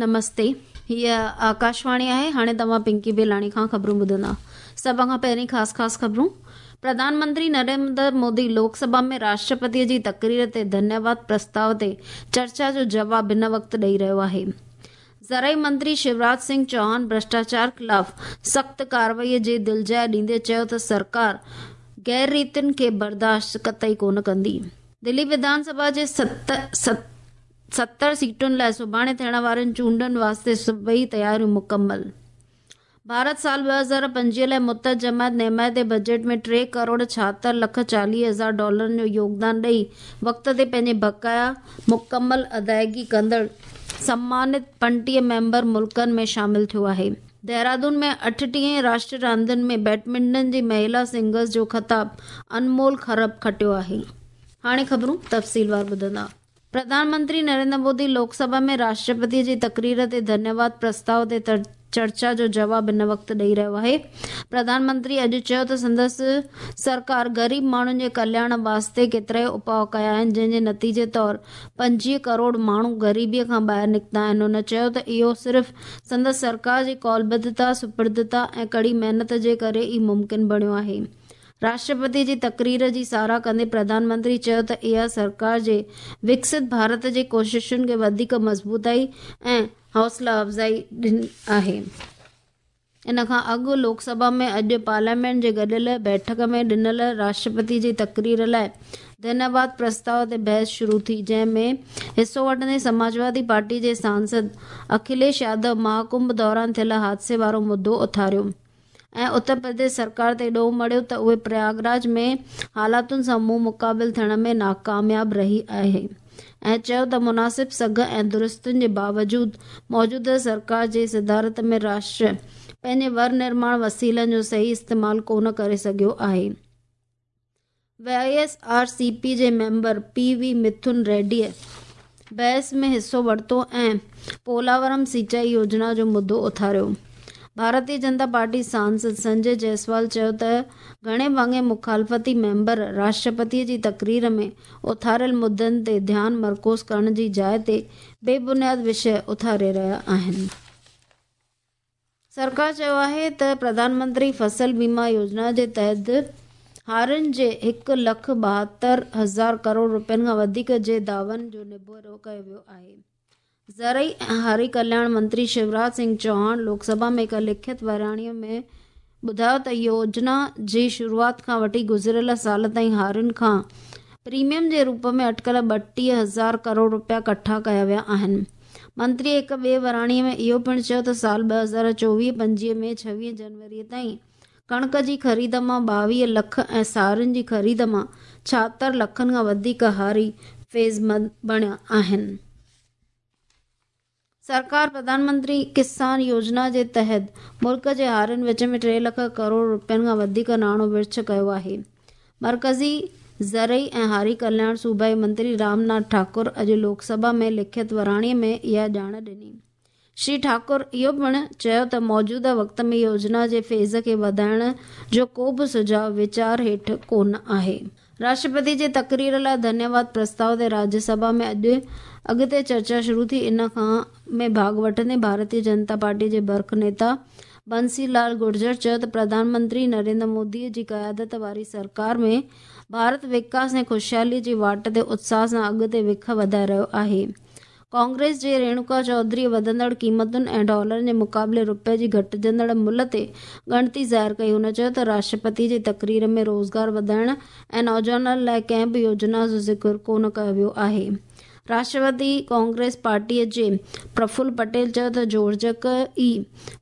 نمستي هيء آڪاشواڻي آهي هاڻي توهان پنڪي بيلاڻي کان خبرون ٻڌندا سڀ کان پهرين خاص خاص خبرون پرڌان منتري نريندر مودي لوڪ سڀا ۾ راشٽرپتي جي تقرير تي ڌنيواد پرستاء تي چرچا جو جواب هن وقت ڏئي رهيو آهي زرعي منتري شيوراج سنگهه چوهان ڀرشٽاچار خلاف سخت ڪارروائي جي دلجاء ڏيندي چيو ته سرڪار غير ريتن کي برداشت قطعي ڪونه ڪندي دلي وڌان سڀا جي 70 سيٽن لاء سڀاڻي ٿيڻ وارين چونڊن واسطي سڀئي تياريون مڪمل. ڀارت سال 2025 لاء متحد جماعت نمائندي بجيٽ ۾ ٽي ڪروڙ 76 لک 40 هزار ڊالرن جو يوگدان ڏئي وقت تي پنهنجي بقايا مڪمل ادائيگي ڪندڙ سمانت 35 ميمبر ملڪن ۾ شامل ٿيو آهي. دهرادون ۾ 38هين راشٽريه راندن ۾ بيڊمنٽن جي مهيلا سنگلز جو خطاب انمول کرب کٽيو آهي. هاڻي خبرون تفصيلوار ٻڌندا. پرڌان منتري نريندر مودي لوڪ سڀا ۾ راشٽرپتي جي تقرير تي ڌنيواد پرستاء تي چرچا جو جواب هن وقت ڏئي رهيو آهي. پرڌان منتري اڄ چيو ته سندس سرڪار غريب ماڻهن جي ڪلياڻ واسطي ڪيترائي اپاء ڪيا آهن جنهن جي نتيجي طور 25 ڪروڙ ماڻهو غريبي کان ٻاهر نڪتا آهن. هن چيو ته اهو صرف سندس سرڪار جي قولبڌتا، سپردتا ۽ ڪڙي محنت جي ڪري ئي ممڪن بڻيو آهي. راشٽرپتي جي تقرير جي ساراهه ڪندي پرڌان منتري چيو ته اها سرڪار جي وڪست ڀارت جي ڪوششن کي وڌيڪ مضبوطائي ۽ حوصلا افزائي ڏني آهي. ان کان اڳ لوڪ سڀا ۾ اڄ پارليامينٽ جي گڏيل بيٺڪ ۾ ڏنل راشٽرپتي جي تقرير لاء ڌنيواد پرستاء تي بحث شروع ٿي جنهن ۾ حصو وٺندي سماجوادي پارٽي جي سانسد اکليش يادو مهاڪنڀ دوران ٿيل حادثي وارو مدو اٿاريو. ۽ اتر پرديش سرڪار تي ڏوهه مڙهيو ته اهي پرياگراج ۾ حالاتن سان منهن مقابل ٿيڻ ۾ ناڪامياب رهي آهي ۽ چيو ته مناسب سگهه ۽ درستين جي باوجود موجوده سرڪار جي صدارت ۾ راشٽر پنهنجي ور نرماڻ وسيلن جو صحيح استعمال ڪونه ڪري سگهيو آهي. Y S R C P جي ميمبر پي وي مٿن ريڊيء بحث ۾ حصو ورتو ۽ پولاورم سينچائي يوجنا جو مدو اٿاريو. ڀارتي جنتا پارٽي سانسد سنجي جئسوال چيو ته گهڻي ڀاڱي مخالفتي ميمبر راشٽرپتيء جي تقرير ۾ اٿاريل مدن تي ڌيان مرڪوز ڪرڻ جي جاء تي بي بنياد وشيه اٿاري رهيا آهن. سرڪار چيو آهي ته پرڌان منتري فصل بيما يوجنا جي تحت هارين جي هڪ لک 72 هزار ڪروڙ رپين کان وڌيڪ جي دعون جو نبيرو ڪيو ويو آهي. زرعي ۽ هاري ڪلياڻ منتري شيوراج سنگهه چوهاڻ لوڪ سڀا ۾ هڪ لکت وراڻي ۾ ٻڌايو ته يوجنا جي شروعات کان وٺي گذريل سال تائين هارين کان پريميم جي روپ ۾ اٽڪل 32 هزار ڪروڙ رپيا ڪٺا ڪيا ويا آهن. منتري هڪ ٻئي وراڻي ۾ اهو پڻ چيو ته سال 2024 25 ۾ 26 جنوري تائين ڪڻڪ جي خريد مان 22 لک ۽ سارين جي خريد مان 76 لکن کان وڌيڪ هاري فيضمند بڻيا آهن. سرڪار پرڌان منتري ڪسان يوجنا جي تحت ملڪ جي هارين وچ ۾ ٽي لک ڪروڙ رپين کان وڌيڪ ناڻو ورڇ ڪيو آهي. مرڪزي زرعي ۽ هاري ڪلياڻ صوبائي منتري رام ناٿ ٺاڪر اڄ لوڪ سڀا ۾ لکت وراڻي ۾ اها ڄاڻ ڏني. شري ٺاڪر اهو پڻ چيو ته موجوده وقت ۾ يوجنا جي فيز کي وڌائڻ جو ڪو به سجهاء ويچار هيٺ ڪونه آهي. راشٽرپتي جي تقرير لاء ڌنيواد پرستاء تي راجيه سڀا ۾ اڄ اڳتي چرچا شروع ٿي ان کان ۾ ڀاڳ وٺندي ڀارتيه جنتا پارٽي جي برک نيتا بنسي لال گرجر چيو ته پرڌان منتري نريندر مودي جي قيادت واري سرڪار ۾ ڀارت وڪاس ۽ خوشحالي جي واٽ تي اتساهه سان اڳتي وک وڌائي رهيو آهي. ڪانگريس جي ريڻوڪا چوڌري وڌندڙ قيمتن ۽ ڊالرن جي مقابلي رپئي جي گهٽجندڙ ملهه تي ڳڻتي ظاهر ڪئي. هن چيو ته راشٽرپتي جي تقرير ۾ روزگار وڌائڻ ۽ نوجوانن لاء ڪنهن به يوجنا جو ذڪر ڪونه ڪيو ويو آهي. راشٽروادي ڪانگريس پارٽيء جي پرڦل پٽيل چيو ته جوڙجڪ ئي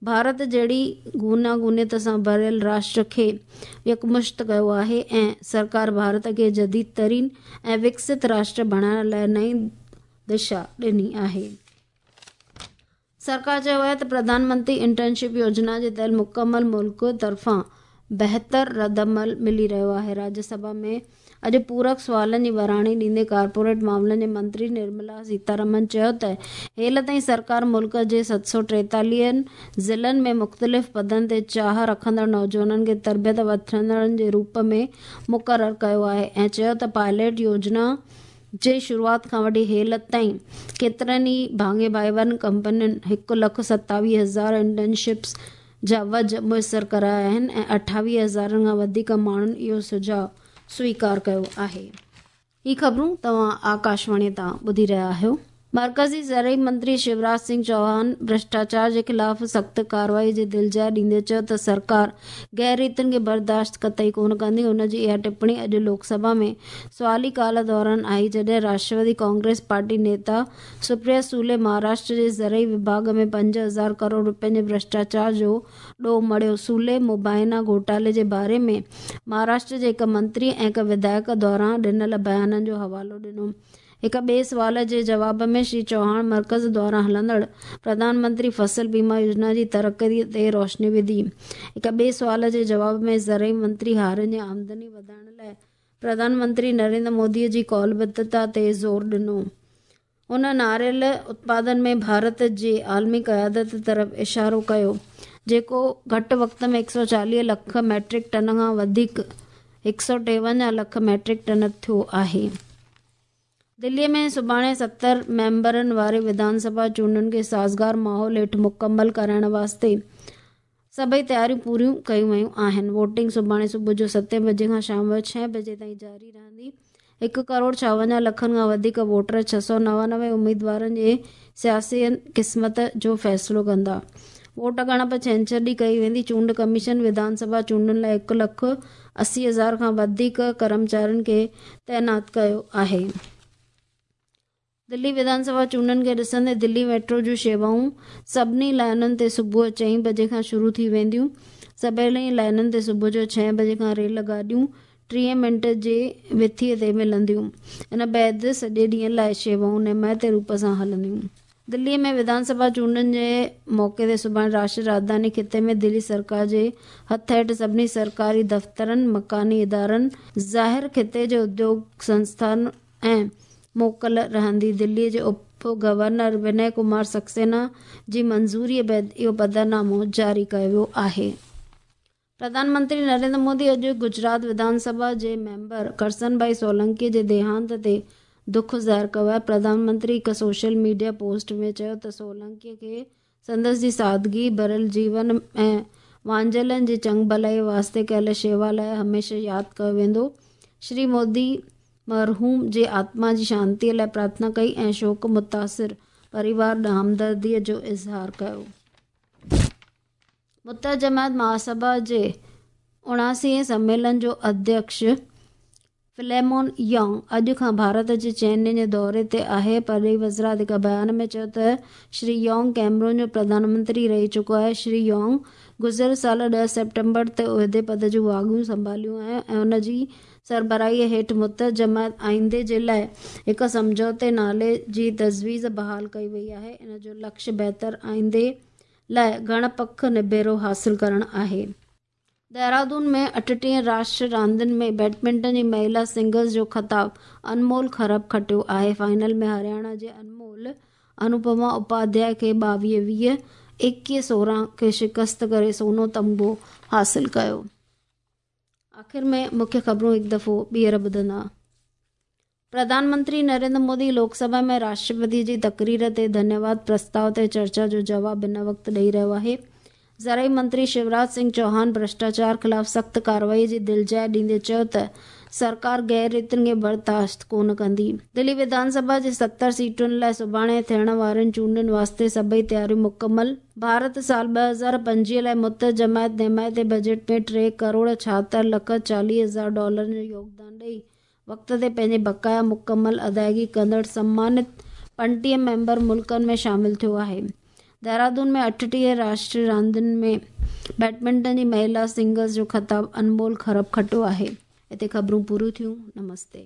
ڀارت جهڙي گوناگونيت سان ڀريل راشٽر کي يڪمشت ڪيو آهي ۽ سرڪار ڀارت کي جديد ترين ۽ وڪست راشٽر بڻائڻ لاء نئين دشا ڏني آهي. سرڪار چيو آهي ته پرڌان منتري انٽرنشپ يوجنا جي تحت مڪمل ملڪ طرفان بهتر ردعمل ملي رهيو آهي. راجيه سڀا ۾ اڄ پورڪ سوالن جي وراڻي ڏيندي ڪارپوريٽ معاملن جي منتري نرملا سيتارمن چيو ته هيل تائين سرڪار ملڪ جي 743 ضلعن ۾ مختلف پدن تي چاهه رکندڙ نوجوانن کي تربيت وٺندڙن جي روپ ۾ مقرر ڪيو آهي ۽ چيو ته پائليٽ يوجنا جي شروعات کان وٺي هيل تائين ڪيترن ئي ڀاڱي ڀائيوارن ڪمپنين 1,27,000 انٽرنشپس جا وجهه ميسر ڪرايا آهن ۽ 28 هزارن کان وڌيڪ ماڻهن اهو سجهاء سويڪار ڪيو آهي. هي خبرون توهان آڪاشواڻي تان ٻڌي رهيا آهيو. مرڪزي زرعي منتري شيوراج سنگهه چوهان ڀرشٽاچار جي خلاف سخت ڪارروائي جي دلجاء ڏيندي چيو ته سرڪار غير ريتن کي برداشت قطعي ڪونه ڪندي. هن جي اها ٽپڻي اڄ لوڪ سڀا ۾ سوالي ڪال دوران آئي جڏهن راشٽروادي ڪانگريس پارٽي نيتا سپريا سولي مهاراشٽر جي زرعي وڀاڳ ۾ 5000 ڪروڙ رپين جي ڀرشٽاچار جو ڏوهه مڙهيو. سولي مبينا گهوٽالي جي باري ۾ مهاراشٽر جي هڪ منتري ۽ هڪ وڌايڪ دوران ڏنل بيانن جو حوالو ڏنو. هڪ ٻئي سوال جي جواب ۾ شري چوهاڻ مرڪز دواران هلندڙ پرڌان منتري فصل بيما يوجنا جي ترقي تي روشني وڌي. هڪ ٻئي سوال جي جواب ۾ زرعي منتري هارين جي آمدني وڌائڻ لاء پرڌان منتري نريندر مودي جي قولبڌتا تي زور ڏنو. هن ناريل اتپادن ۾ ڀارت جي عالمي قيادت طرف اشارو ڪيو، جيڪو گهٽ وقت ۾ 140 لک ميٽرڪ ٽن کان وڌيڪ 153 لک ميٽرڪ ٽن ٿيو آهي. دلي ۾ سڀاڻي 70 ميمبرن واري وڌان سڀا چونڊن کي سازگار ماحول هيٺ مڪمل ڪرائڻ واسطي سڀئي تياريون پوريون ڪيون ويون آهن. ووٽنگ سڀاڻي صبح جو 7 بجي کان شام جو 6 بجي تائين جاري رهندي. 1 ڪروڙ 56 لکن کان وڌيڪ ووٽر 699 اميدوارن جي سياسي قسمت جو فيصلو ڪندا. ووٽ ڳڻپ ڇنڇر ڏينهن ڪئي ويندي. چونڊ ڪميشن وڌان سڀا چونڊن لاء 1 لک 80 هزار کان وڌيڪ ڪرمچارين کي تعينات ڪيو آهي. دلي وڌان سڀا چونڊن کي ڏسندي دلي ميٽرو جون شيوائون سڀني لائنن تي صبح 4 بجي کان شروع ٿي وينديون. سڀني لائنن تي صبح جو 6 بجي کان ريل گاڏيون 30 منٽ جي وٿيء تي ملنديون. ان بعد سڄي ڏينهن لاء شيوائون نمائتي روپ سان هلنديون. دلي ۾ وڌان سڀا چونڊن جي موقعي تي سڀاڻي راشٽريه راڄڌاني خطي ۾ دلي سرڪار جي هٿ هيٺ سڀني سرڪاري دفترن، مڪاني ادارن، ظاهر خطي جي اديوگ سنسٿان ۽ موڪل رهندي. دلي جي اپ گورنر وني ڪمار سڪسينا جي منظوري بعد اهو پڌرنامو جاري ڪيو ويو آهي. پرڌان منتري نريندر مودي اڄ گجرات وڌان سڀا جي ميمبر ڪرسن ڀائي سولنڪي جي ديهانت تي دک ظاهر ڪيو آهي. پرڌان منتري هڪ سوشل ميڊيا پوسٽ ۾ چيو ته سولنڪي کي سندس جي سادگي ڀريل جيون ۽ وانجهيلن جي چڱ ڀلائي واسطي ڪيل شيوا لاء هميشه ياد ڪيو ويندو. شري مودي مرحوم جي آتما جي شانتي لاء پرارٿنا ڪئي ۽ شوڪ متاثر پريوار ڏانهن همدردي جو اظهار ڪيو. متحده جماعت مهاسڀا جي 79 سميلن جو اڌيڪش فليمون يانگ اڄ کان ڀارت جي چئن ڏينهن جي دوري تي آهي. پرڏيهي وزارت هڪ بيان ۾ چيو ته شري يانگ ڪيمرون جو پرڌان منتري رهي چڪو آهي. شري يانگ گذريل سال 10 سيپٽمبر تي عهدي پد جون واڳون سنڀاليون آهن ۽ ان جي سربراهي هيٺ متحده جماعت آئيندي جي لاء هڪ سمجهوتي نالي جي تجويز بحال ڪئي وئي آهي. ان جو لڪش بهتر آئيندي لاء گهڻ پک نبيرو حاصل ڪرڻ آهي. دهرادون ۾ 38 راشٽريه راندين ۾ بيڊمنٽن جي مهلا سنگلز جو خطاب انمول کرب کٽيو آهي. فائنل ۾ هرياڻا جي انمول انوپما اپاڌياء کي 22 20، 21 16 کي شڪست ڪري سونو تمغو حاصل ڪيو. آخر ۾ مکيه خبرون هڪ دفعو ٻيهر ٻڌندا. پرڌان منتري نريندر مودي لوڪ سڀا ۾ راشٽرپتي جي تقرير تي ڌنيواد پرستاء تي چرچا جو جواب هن وقت ڏئي رهيو آهي. زرعي منتري شيوراج سنگهه چوهان ڀرشٽاچار خلاف سخت ڪارروائي جي دلجاء ڏيندي چيو ته سرڪار غير ريتن کي برداشت ڪونه ڪندي. دلي وڌان سڀا جي 70 سيٽن لاء سڀاڻي ٿيڻ وارين چونڊن واسطي سڀئي تياريون مڪمل. ڀارت سال 2025 لاء متحده جماعت نمائتي بجيٽ ۾ 3 ڪروڙ 76 لک 40 هزار ڊالرن جو يوگدان ڏئي وقت تي پنهنجي بقايا مڪمل ادائگي ڪندڙ سمانت 35 ميمبر ملڪن ۾ شامل ٿيو آهي. دهرادون ۾ 38 راشٽريه راندين ۾ بيڊمنٽن جي مهلا سنگلز جو خطاب انمول کرب کٽيو آهي. هتي خبرون پوريون ٿيون. نمستي.